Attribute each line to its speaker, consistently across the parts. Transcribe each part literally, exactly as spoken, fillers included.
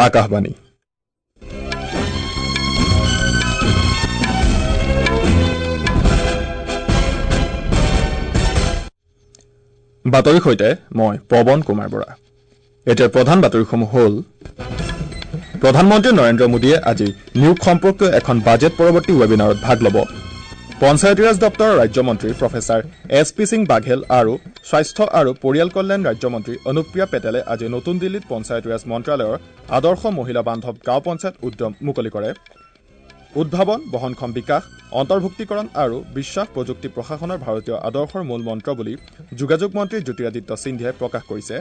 Speaker 1: আকাশবাণী। বাতৰিৰ সৈতে মই পৱন কুমাৰ বৰা। এতিয়াৰ প্ৰধান বাতৰিসমূহ হ'ল: প্ৰধানমন্ত্ৰী নৰেন্দ্ৰ মোদীয়ে আজি নিয়োগ সম্পৰ্কীয় এখন বাজেট পৰৱৰ্তী ৱেবিনাৰত ভাগ ল'ব। পঞ্চায়তীৰাজ দপ্তৰৰ ৰাজ্যমন্ত্ৰী professor S P Singh Baghel আৰু স্বাস্থ্য আৰু পৰিয়াল কল্যাণ ৰাজ্যমন্ত্ৰী অনুপ্ৰিয়া পেটেলে আজি নতুন দিল্লীত পঞ্চায়তীৰাজ মন্ত্ৰালয়ৰ আদৰ্শ মহিলা বান্ধৱ গাঁও পঞ্চায়ত উদ্যম মুকলি কৰে। উদ্ভাৱন, বহনক্ষম বিকাশ, অন্তৰ্ভুক্তিকৰণ আৰু বিশ্বাস প্ৰযুক্তি প্ৰশাসনৰ ভাৰতীয় আদৰ্শৰ মূল মন্ত্ৰ বুলি যোগাযোগ মন্ত্ৰী জ্যোতিৰাদিত্য সিন্ধিয়াই প্ৰকাশ কৰিছে।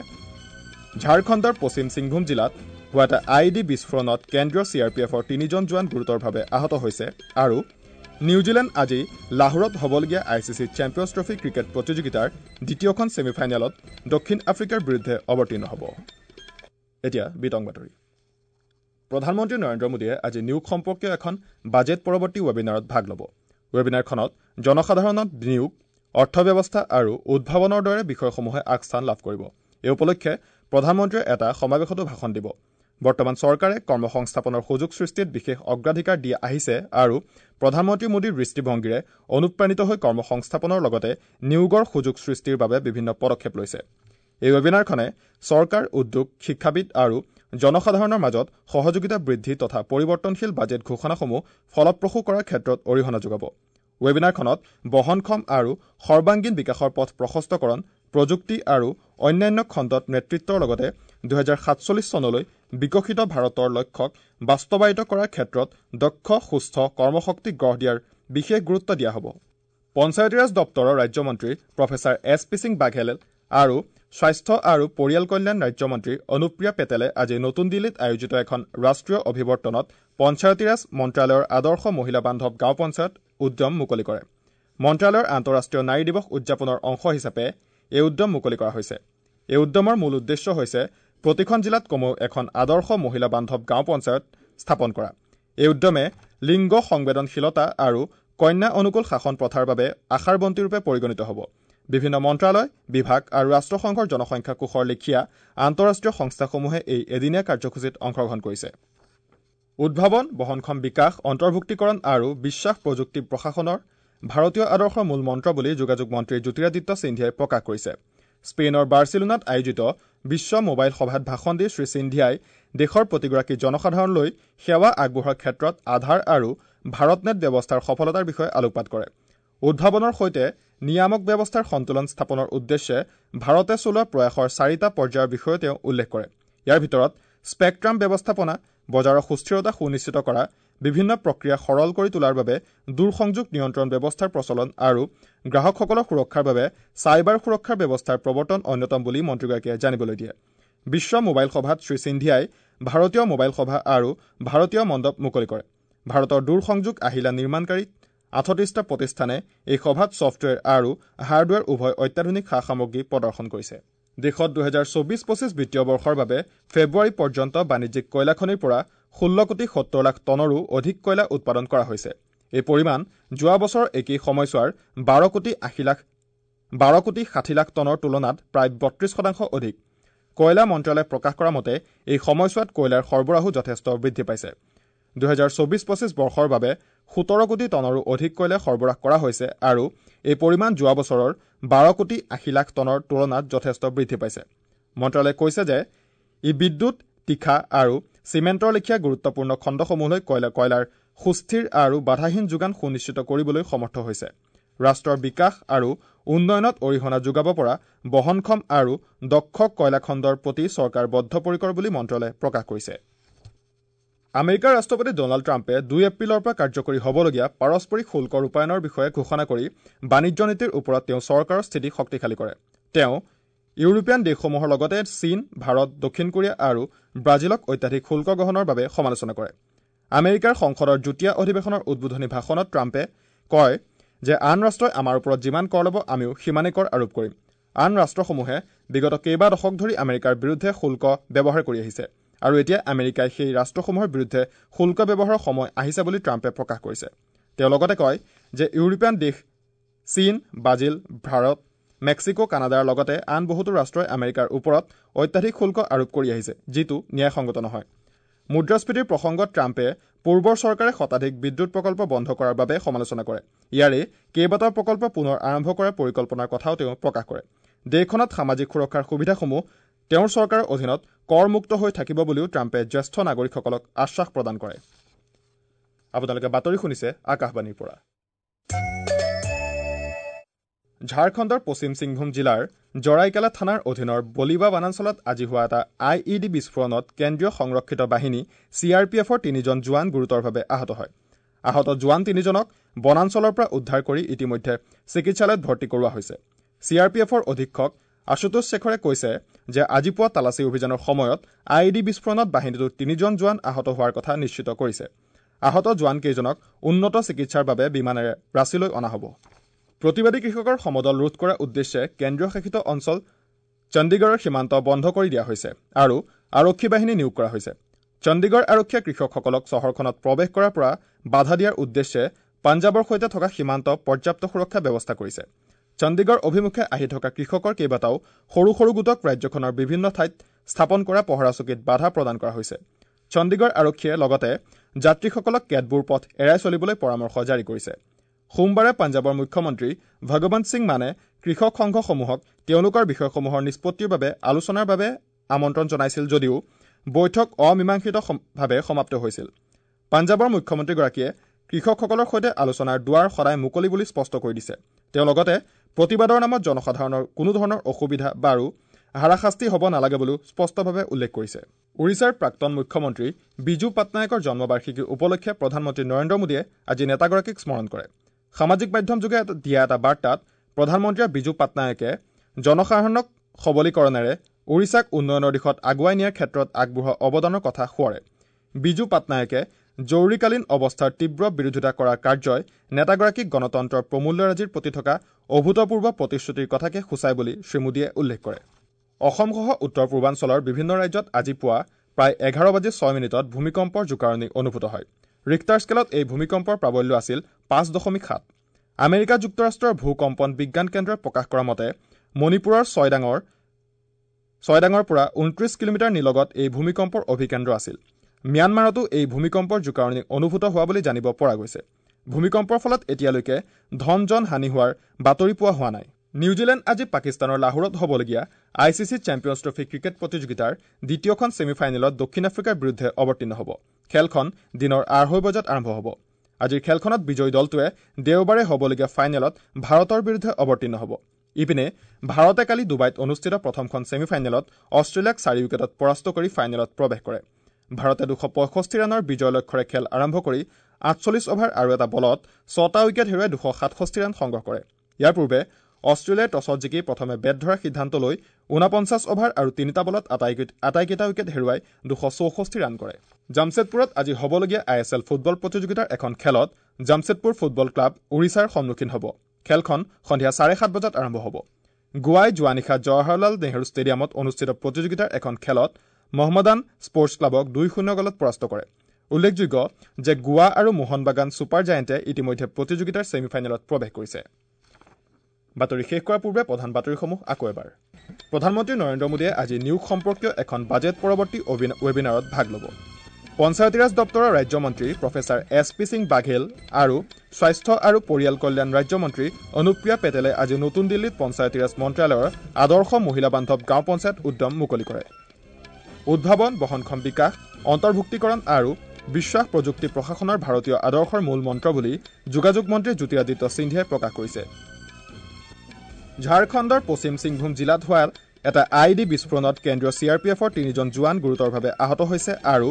Speaker 1: ঝাৰখণ্ডৰ পশ্চিম সিংভূম জিলাত হোৱা এটা I E D বিস্ফোৰণত কেন্দ্ৰীয় চি আৰ পি এফৰ তিনিজন জোৱান গুৰুতৰভাৱে আহত হৈছে। আৰু নিউজিলেণ্ড আজি লাহোৰত হ'বলগীয়া I C C Champions Trophy cricket প্ৰতিযোগিতাৰ দ্বিতীয়খন ছেমিফাইনেলত দক্ষিণ আফ্ৰিকাৰ বিৰুদ্ধে অৱতীৰ্ণ হ'ব। এতিয়া বিতং বাতৰি। প্ৰধানমন্ত্ৰী নৰেন্দ্ৰ মোদীয়ে আজি নিয়োগ সম্পৰ্কীয় এখন বাজেট পৰৱৰ্তী ৱেবিনাৰত ভাগ ল'ব। ৱেবিনাৰখনত জনসাধাৰণত নিয়োগ, অৰ্থব্যৱস্থা আৰু উদ্ভাৱনৰ দৰে বিষয়সমূহে আগস্থান লাভ কৰিব। এই উপলক্ষে প্ৰধানমন্ত্ৰীয়ে এটা সমাৱেশতো ভাষণ দিব। বৰ্তমান চৰকাৰে কৰ্মসংস্থাপনৰ সুযোগ সৃষ্টিত বিশেষ অগ্ৰাধিকাৰ দি আহিছে আৰু প্ৰধানমন্ত্ৰী মোদীৰ দৃষ্টিভংগীৰে অনুপ্ৰাণিত হৈ কৰ্মসংস্থাপনৰ লগতে নিয়োগৰ সুযোগ সৃষ্টিৰ বাবে বিভিন্ন পদক্ষেপ লৈছে। এই ৱেবিনাৰখনে চৰকাৰ, উদ্যোগ, শিক্ষাবিদ আৰু জনসাধাৰণৰ মাজত সহযোগিতা বৃদ্ধি তথা পৰিৱৰ্তনশীল বাজেট ঘোষণাসমূহ ফলপ্ৰসূ কৰাৰ ক্ষেত্ৰত অৰিহণা যোগাব। ৱেবিনাৰখনত বহনক্ষম আৰু সৰ্বাংগীন বিকাশৰ পথ প্ৰশস্তকৰণ, প্ৰযুক্তি আৰু অন্যান্য খণ্ডত নেতৃত্বৰ লগতে দুহেজাৰ সাতচল্লিছ চনলৈ বিকশিত ভাৰতৰ লক্ষ্যক বাস্তৱায়িত কৰাৰ ক্ষেত্ৰত দক্ষ, সুস্থ কৰ্মশক্তি গঢ় দিয়াৰ বিশেষ গুৰুত্ব দিয়া হ'ব। পঞ্চায়তীৰাজ দপ্তৰৰ ৰাজ্যমন্ত্ৰী professor S P Singh Baghel আৰু স্বাস্থ্য আৰু পৰিয়াল কল্যাণ ৰাজ্যমন্ত্ৰী অনুপ্ৰিয়া পেটেলে আজি নতুন দিল্লীত আয়োজিত এখন ৰাষ্ট্ৰীয় অভিৱৰ্তনত পঞ্চায়তীৰাজ মন্ত্ৰালয়ৰ আদৰ্শ মহিলা বান্ধৱ গাঁও পঞ্চায়ত উদ্যম মুকলি কৰে। মন্ত্ৰালয়ৰ আন্তঃৰাষ্ট্ৰীয় নাৰী দিৱস উদযাপনৰ অংশ হিচাপে এই উদ্যম মুকলি কৰা হৈছে। এই উদ্যমৰ মূল উদ্দেশ্য হৈছে প্ৰতিখন জিলাত কমেও এখন আদৰ্শ মহিলা বান্ধৱ গাঁও পঞ্চায়ত স্থাপন কৰা। এই উদ্যমে লিংগ সংবেদনশীলতা আৰু কন্যা অনুকূল শাসন প্ৰথাৰ বাবে আশাৰ বন্তিৰূপে পৰিগণিত হ'ব। বিভিন্ন মন্ত্ৰালয়, বিভাগ আৰু ৰাষ্ট্ৰসংঘৰ জনসংখ্যা কোষৰ লেখীয়া আন্তঃৰাষ্ট্ৰীয় সংস্থাসমূহে এই এদিনীয়া কাৰ্যসূচীত অংশগ্ৰহণ কৰিছে। উদ্ভাৱন, বহনক্ষম বিকাশ, অন্তৰ্ভুক্তিকৰণ আৰু বিশ্বাস প্ৰযুক্তি প্ৰশাসনৰ ভাৰতীয় আদৰ্শৰ মূল মন্ত্ৰ বুলি যোগাযোগ মন্ত্ৰী জ্যোতিৰাদিত্য সিন্ধিয়াই প্ৰকাশ কৰিছে। স্পেইনৰ বাৰ্চিলোনাত আয়োজিত বিশ্ব মোবাইল সভাত ভাষণ দি শ্ৰী সিন্ধিয়াই দেশৰ প্ৰতিগৰাকী জনসাধাৰণলৈ সেৱা আগবঢ়োৱাৰ ক্ষেত্ৰত আধাৰ আৰু ভাৰতনেট ব্যৱস্থাৰ সফলতাৰ বিষয়ে আলোকপাত কৰে। উদ্ভাৱনৰ সৈতে নিয়ামক ব্যৱস্থাৰ সন্তুলন স্থাপনৰ উদ্দেশ্যে ভাৰতে চলোৱা প্ৰয়াসৰ চাৰিটা পৰ্যায়ৰ বিষয়েও তেওঁ উল্লেখ কৰে। ইয়াৰ ভিতৰত স্পেকট্ৰাম ব্যৱস্থাপনা, বজাৰৰ সুস্থিৰতা সুনিশ্চিত কৰা, বিভিন্ন প্ৰক্ৰিয়া সৰল কৰি তোলাৰ বাবে দূৰসংযোগ নিয়ন্ত্ৰণ ব্যৱস্থাৰ প্ৰচলন আৰু গ্ৰাহকসকলৰ সুৰক্ষাৰ বাবে চাইবাৰ সুৰক্ষাৰ ব্যৱস্থাৰ প্ৰৱৰ্তন অন্যতম বুলি মন্ত্ৰীগৰাকীয়ে জানিবলৈ দিয়ে। বিশ্ব মোবাইল সভাত শ্ৰী সিন্ধিয়াই ভাৰতীয় মোবাইল সভা আৰু ভাৰতীয় মণ্ডপ মুকলি কৰে। ভাৰতৰ দূৰসংযোগ আহিলা নিৰ্মাণকাৰী আঠত্ৰিছটা প্ৰতিষ্ঠানে এই সভাত ছফ্টৱেৰ আৰু হাৰ্ডৱেৰ উভয় অত্যাধুনিক সা সামগ্ৰী প্ৰদৰ্শন কৰিছে। দেশত দুহেজাৰ চৌবিছ পঁচিছ বিত্তীয় বৰ্ষৰ বাবে ফেব্ৰুৱাৰী পৰ্যন্ত বাণিজ্যিক কয়লাখনিৰ পৰা ষোল্ল কোটি সত্তৰ লাখ টনৰো অধিক কয়লা উৎপাদন কৰা হৈছে। এই পৰিমাণ যোৱা বছৰৰ একেই সময়ছোৱাৰ বাৰ কোটি আশী লাখ বাৰ কোটি ষাঠি লাখ টনৰ তুলনাত প্ৰায় বত্ৰিছ শতাংশ অধিক। কয়লা মন্ত্ৰালয়ে প্ৰকাশ কৰা মতে এই সময়ছোৱাত কয়লাৰ সৰবৰাহো যথেষ্ট বৃদ্ধি পাইছে। দুহেজাৰ চৌবিছ পঁচিছ বৰ্ষৰ বাবে সোতৰ কোটি টনৰো অধিক কয়লা সৰবৰাহ কৰা হৈছে আৰু এই পৰিমাণ যোৱা বছৰৰ বাৰ কোটি আশী লাখ টনৰ তুলনাত যথেষ্ট বৃদ্ধি পাইছে। মন্ত্ৰালয়ে কৈছে যে ই বিদ্যুৎ, তীখা আৰু চিমেণ্টৰ লেখীয়া গুৰুত্বপূৰ্ণ খণ্ডসমূহলৈ কয়লা কয়লাৰ সুস্থিৰ আৰু বাধাহীন যোগান সুনিশ্চিত কৰিবলৈ সমৰ্থ হৈছে। ৰাষ্ট্ৰৰ বিকাশ আৰু উন্নয়নত অৰিহণা যোগাব পৰা বহনক্ষম আৰু দক্ষ কয়লা খণ্ডৰ প্ৰতি চৰকাৰ বদ্ধপৰিকৰ বুলি মন্ত্ৰালয়ে প্ৰকাশ কৰিছে। আমেৰিকাৰ ৰাষ্ট্ৰপতি ডনাল্ড ট্ৰাম্পে দুই এপ্ৰিলৰ পৰা কাৰ্যকৰী হ'বলগীয়া পাৰস্পৰিক শুল্ক ৰূপায়ণৰ বিষয়ে ঘোষণা কৰি বাণিজ্য নীতিৰ ওপৰত তেওঁ চৰকাৰৰ স্থিতি শক্তিশালী কৰে। তেওঁ ইউৰোপীয়ান দেশসমূহৰ লগতে চীন, ভাৰত, দক্ষিণ কোৰিয়া আৰু ব্ৰাজিলক অত্যাধিক শুল্ক গ্ৰহণৰ বাবে সমালোচনা কৰে। আমেৰিকাৰ সংসদৰ যুটীয়া অধিৱেশনৰ উদ্বোধনী ভাষণত ট্ৰাম্পে কয় যে আন ৰাষ্ট্ৰই আমাৰ ওপৰত যিমান কৰ ল'ব আমিও সিমানেই কৰ আৰোপ কৰিম। আন ৰাষ্ট্ৰসমূহে বিগত কেইবা দশক ধৰি আমেৰিকাৰ বিৰুদ্ধে শুল্ক ব্যৱহাৰ কৰি আহিছে আৰু এতিয়া আমেৰিকাই সেই ৰাষ্ট্ৰসমূহৰ বিৰুদ্ধে শুল্ক ব্যৱহাৰৰ সময় আহিছে বুলি ট্ৰাম্পে প্ৰকাশ কৰিছে। তেওঁ লগতে কয় যে ইউৰোপীয়ান দেশ চীন, ব্ৰাজিল, ভাৰত, মেক্সিকো, কানাডাৰ লগতে আন বহুতো ৰাষ্ট্ৰই আমেৰিকাৰ ওপৰত অত্যাধিক শুল্ক আৰোপ কৰি আহিছে, যিটো ন্যায়সংগত নহয়। মুদ্ৰাস্ফীতিৰ প্ৰসংগত ট্ৰাম্পে পূৰ্বৰ চৰকাৰে শতাধিক বিদ্যুৎ প্ৰকল্প বন্ধ কৰাৰ বাবে সমালোচনা কৰে। ইয়াৰে কেইবাটাও প্ৰকল্প পুনৰ আৰম্ভ কৰাৰ পৰিকল্পনাৰ কথাও তেওঁ প্ৰকাশ কৰে। দেশখনত সামাজিক সুৰক্ষাৰ সুবিধাসমূহ তেওঁৰ চৰকাৰৰ অধীনত কৰমুক্ত হৈ থাকিব বুলিও ট্ৰাম্পে জ্যেষ্ঠ নাগৰিকসকলক আশ্বাস প্ৰদান কৰে। আপোনালোকে বাতৰি শুনিছে আকাশবাণীৰ পৰা। ঝাৰখণ্ডৰ পশ্চিম সিংভূম জিলাৰ জৰাইকেলা থানাৰ অধীনৰ বলিবা বনাঞ্চলত আজি হোৱা এটা I E D বিস্ফোৰণত কেন্দ্ৰীয় সংৰক্ষিত বাহিনী চি আৰ পি এফৰ তিনিজন জোৱান গুৰুতৰভাৱে আহত হয়। আহত জোৱান তিনিজনক বনাঞ্চলৰ পৰা উদ্ধাৰ কৰি ইতিমধ্যে চিকিৎসালয়ত ভৰ্তি কৰোৱা হৈছে। চি আৰ পি এফৰ অধীক্ষক আশুতোষ শেখৰে কৈছে যে আজি পুৱা তালাচী অভিযানৰ সময়ত I E D বিস্ফোৰণত বাহিনীটোৰ তিনিজন জোৱান আহত হোৱাৰ কথা নিশ্চিত কৰিছে। আহত জোৱানকেইজনক উন্নত চিকিৎসাৰ বাবে বিমানেৰে ৰাঁচীলৈ অনা হ'ব। প্ৰতিবাদী কৃষকৰ সমদল ৰোধ কৰাৰ উদ্দেশ্যে কেন্দ্ৰীয় শাসিত অঞ্চল চণ্ডীগড়ৰ সীমান্ত বন্ধ কৰি দিয়া হৈছে আৰু আৰক্ষী বাহিনী নিয়োগ কৰা হৈছে। চণ্ডীগড় আৰক্ষীয়ে কৃষকসকলক চহৰখনত প্ৰৱেশ কৰাৰ পৰা বাধা দিয়াৰ উদ্দেশ্যে পাঞ্জাৱৰ সৈতে থকা সীমান্ত পৰ্যাপ্ত সুৰক্ষা ব্যৱস্থা কৰিছে। চণ্ডীগড় অভিমুখে আহি থকা কৃষকৰ কেইবাটাও সৰু সৰু গোটক ৰাজ্যখনৰ বিভিন্ন ঠাইত স্থাপন কৰা পহৰা চকীত বাধা প্ৰদান কৰা হৈছে। চণ্ডীগড় আৰক্ষীয়ে লগতে যাত্ৰীসকলক কেতবোৰ পথ এৰাই চলিবলৈ পৰামৰ্শ জাৰি কৰিছে। সোমবাৰে পাঞ্জাৱৰ মুখ্যমন্ত্ৰী ভগৱন্ত সিং মানে কৃষক সংঘসমূহক তেওঁলোকৰ বিষয়সমূহৰ নিষ্পত্তিৰ বাবে আলোচনাৰ বাবে আমন্ত্ৰণ জনাইছিল যদিও বৈঠক অমীমাংসিতভাৱে সমাপ্ত হৈছিল। পাঞ্জাৱৰ মুখ্যমন্ত্ৰীগৰাকীয়ে কৃষকসকলৰ সৈতে আলোচনাৰ দুৱাৰ সদায় মুকলি বুলি স্পষ্ট কৰি দিছে। তেওঁ লগতে প্ৰতিবাদৰ নামত জনসাধাৰণৰ কোনো ধৰণৰ অসুবিধা বাৰু হাৰাশাস্তি হ'ব নালাগে বুলিও স্পষ্টভাৱে উল্লেখ কৰিছে। ওড়িশাৰ প্ৰাক্তন মুখ্যমন্ত্ৰী বিজু পাটনায়কৰ জন্মবাৰ্ষিকী উপলক্ষে প্ৰধানমন্ত্ৰী নৰেন্দ্ৰ মোদীয়ে আজি নেতাগৰাকীক স্মৰণ কৰে। সামাজিক মাধ্যমযোগে দিয়া এটা বাৰ্তাত প্ৰধানমন্ত্ৰীয়ে বিজু পাটনায়কে জনসাধাৰণক সবলীকৰণেৰে ওড়িশাক উন্নয়নৰ দিশত আগুৱাই নিয়াৰ ক্ষেত্ৰত আগবঢ়োৱা অৱদানৰ কথা সোঁৱৰে। বিজু পাটনায়কে জৰুৰীকালীন অৱস্থাৰ তীব্ৰ বিৰোধিতা কৰা কাৰ্যই নেতাগৰাকীক গণতন্ত্ৰৰ প্ৰমূল্যৰাজিৰ প্ৰতি থকা অভূতপূৰ্ব প্ৰতিশ্ৰুতিৰ কথাকে সূচায় বুলি শ্ৰীমোদীয়ে উল্লেখ কৰে। অসমসহ উত্তৰ পূৰ্বাঞ্চলৰ বিভিন্ন ৰাজ্যত আজি পুৱা প্ৰায় এঘাৰ বাজি ছয় মিনিটত ভূমিকম্পৰ জোকাৰণি অনুভূত হয়। ৰিক্টাৰ স্কেলত এই ভূমিকম্পৰ প্ৰাবল্য আছিল পাঁচ দশমিক সাত। আমেৰিকা যুক্তৰাষ্ট্ৰৰ ভূকম্পন বিজ্ঞান কেন্দ্ৰই প্ৰকাশ কৰা মতে মণিপুৰৰ ছয়ডাঙৰ ছয়ডাঙৰ পৰা ঊনত্ৰিছ কিলোমিটাৰ নিলগত এই ভূমিকম্পৰ অভিকেন্দ্ৰ আছিল। ম্যানমাৰতো এই ভূমিকম্পৰ জোকাৰণি অনুভূত হোৱা বুলি জানিব পৰা গৈছে। ভূমিকম্পৰ ফলত এতিয়ালৈকে ধন জন হানি হোৱাৰ বাতৰি পোৱা হোৱা নাই। নিউজিলেণ্ড আজি পাকিস্তানৰ লাহোৰত হ'বলগীয়া I C C Champions Trophy cricket প্ৰতিযোগিতাৰ দ্বিতীয়খন ছেমি ফাইনেলত দক্ষিণ আফ্ৰিকাৰ বিৰুদ্ধে অৱতীৰ্ণ হ'ব। খেলখন দিনৰ আঢ়ৈ বজাত আৰম্ভ হ'ব। আজিৰ খেলখনত বিজয়ী দলটোৱে দেওবাৰে হ'বলগীয়া ফাইনেলত ভাৰতৰ বিৰুদ্ধে অৱতীৰ্ণ হ'ব। ইপিনে ভাৰতে কালি ডুবাইত অনুষ্ঠিত প্ৰথমখন ছেমি ফাইনেলত অষ্ট্ৰেলিয়াক চাৰি উইকেটত পৰাস্ত কৰি ফাইনেলত প্ৰৱেশ কৰে। ভাৰতে দুশ পঁয়ষষ্ঠি ৰানৰ বিজয় লক্ষ্যৰে খেল আৰম্ভ কৰি আঠচল্লিছ অভাৰ আৰু এটা বলত ছটা উইকেট হেৰুৱাই দুশ সাতষষ্ঠি ৰান সংগ্ৰহ কৰে। ইয়াৰ পূৰ্বে অষ্ট্ৰেলিয়াই টছত জিকি প্ৰথমে বেট ধৰাৰ সিদ্ধান্ত লৈ ঊনপঞ্চাছ অভাৰ আৰু তিনিটা বলত আটাইকেইটা উইকেট হেৰুৱাই দুশ চৌষষ্ঠি ৰান কৰে। জামছেদপুৰত আজি হ'বলগীয়া I S L football প্ৰতিযোগিতাৰ এখন খেলত জামছেদপুৰ ফুটবল ক্লাব ওড়িশাৰ সন্মুখীন হ'ব। খেলখন সন্ধিয়া চাৰে সাত বজাত আৰম্ভ হ'ব। গোৱাই যোৱা নিশা জৱাহৰলাল নেহৰু ষ্টেডিয়ামত অনুষ্ঠিত প্ৰতিযোগিতাৰ এখন খেলত মহম্মদান স্পৰ্টছ ক্লাবক দুই শূন্য গলত পৰাস্ত কৰে। উল্লেখযোগ্য যে গোৱা আৰু মোহনবাগান ছুপাৰ জায়েণ্টে ইতিমধ্যে প্ৰতিযোগিতাৰ ছেমি ফাইনেলত প্ৰৱেশ কৰিছে। বাতৰি শেষ কৰাৰ পূৰ্বে প্ৰধান বাতৰিসমূহ আকৌ এবাৰ। প্ৰধানমন্ত্ৰী নৰেন্দ্ৰ মোদীয়ে আজি নিয়োগ সম্পৰ্কীয় এখন বাজেট পৰৱৰ্তী ৱেবিনাৰত ভাগ ল'ব। পঞ্চায়তীৰাজ দপ্তৰৰ ৰাজ্যমন্ত্ৰী professor S P Singh Baghel আৰু স্বাস্থ্য আৰু পৰিয়াল কল্যাণ ৰাজ্যমন্ত্ৰী অনুপ্ৰিয়া পেটেলে আজি নতুন দিল্লীত পঞ্চায়তীৰাজ মন্ত্ৰালয়ৰ আদৰ্শ মহিলা বান্ধৱ গাঁও পঞ্চায়ত উদ্যম মুকলি কৰে। উদ্ভাৱন, বহনক্ষম বিকাশ, অন্তৰ্ভুক্তিকৰণ আৰু বিশ্বাস প্ৰযুক্তি প্ৰশাসনৰ ভাৰতীয় আদৰ্শৰ মূল মন্ত্ৰ বুলি যোগাযোগ মন্ত্ৰী জ্যোতিৰাদিত্য সিন্ধিয়াই প্ৰকাশ কৰিছে। ঝাৰখণ্ডৰ পশ্চিম সিংভূম জিলাত হোৱা এটা I D বিস্ফোৰণত কেন্দ্ৰীয় চি আৰ পি এফৰ তিনিজন জোৱান গুৰুতৰভাৱে আহত হৈছে আৰু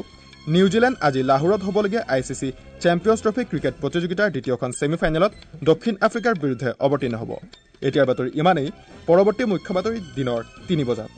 Speaker 1: নিউজিলেণ্ড আজি লাহোৰত হ'বলগীয়া I C C Champions Trophy cricket প্ৰতিযোগিতাৰ দ্বিতীয়খন ছেমি ফাইনেলত দক্ষিণ আফ্ৰিকাৰ বিৰুদ্ধে অৱতীৰ্ণ হ'ব। এতিয়াৰ বাতৰি ইমানেই। পৰৱৰ্তী মুখ্য বাতৰি দিনৰ তিনি বজাত।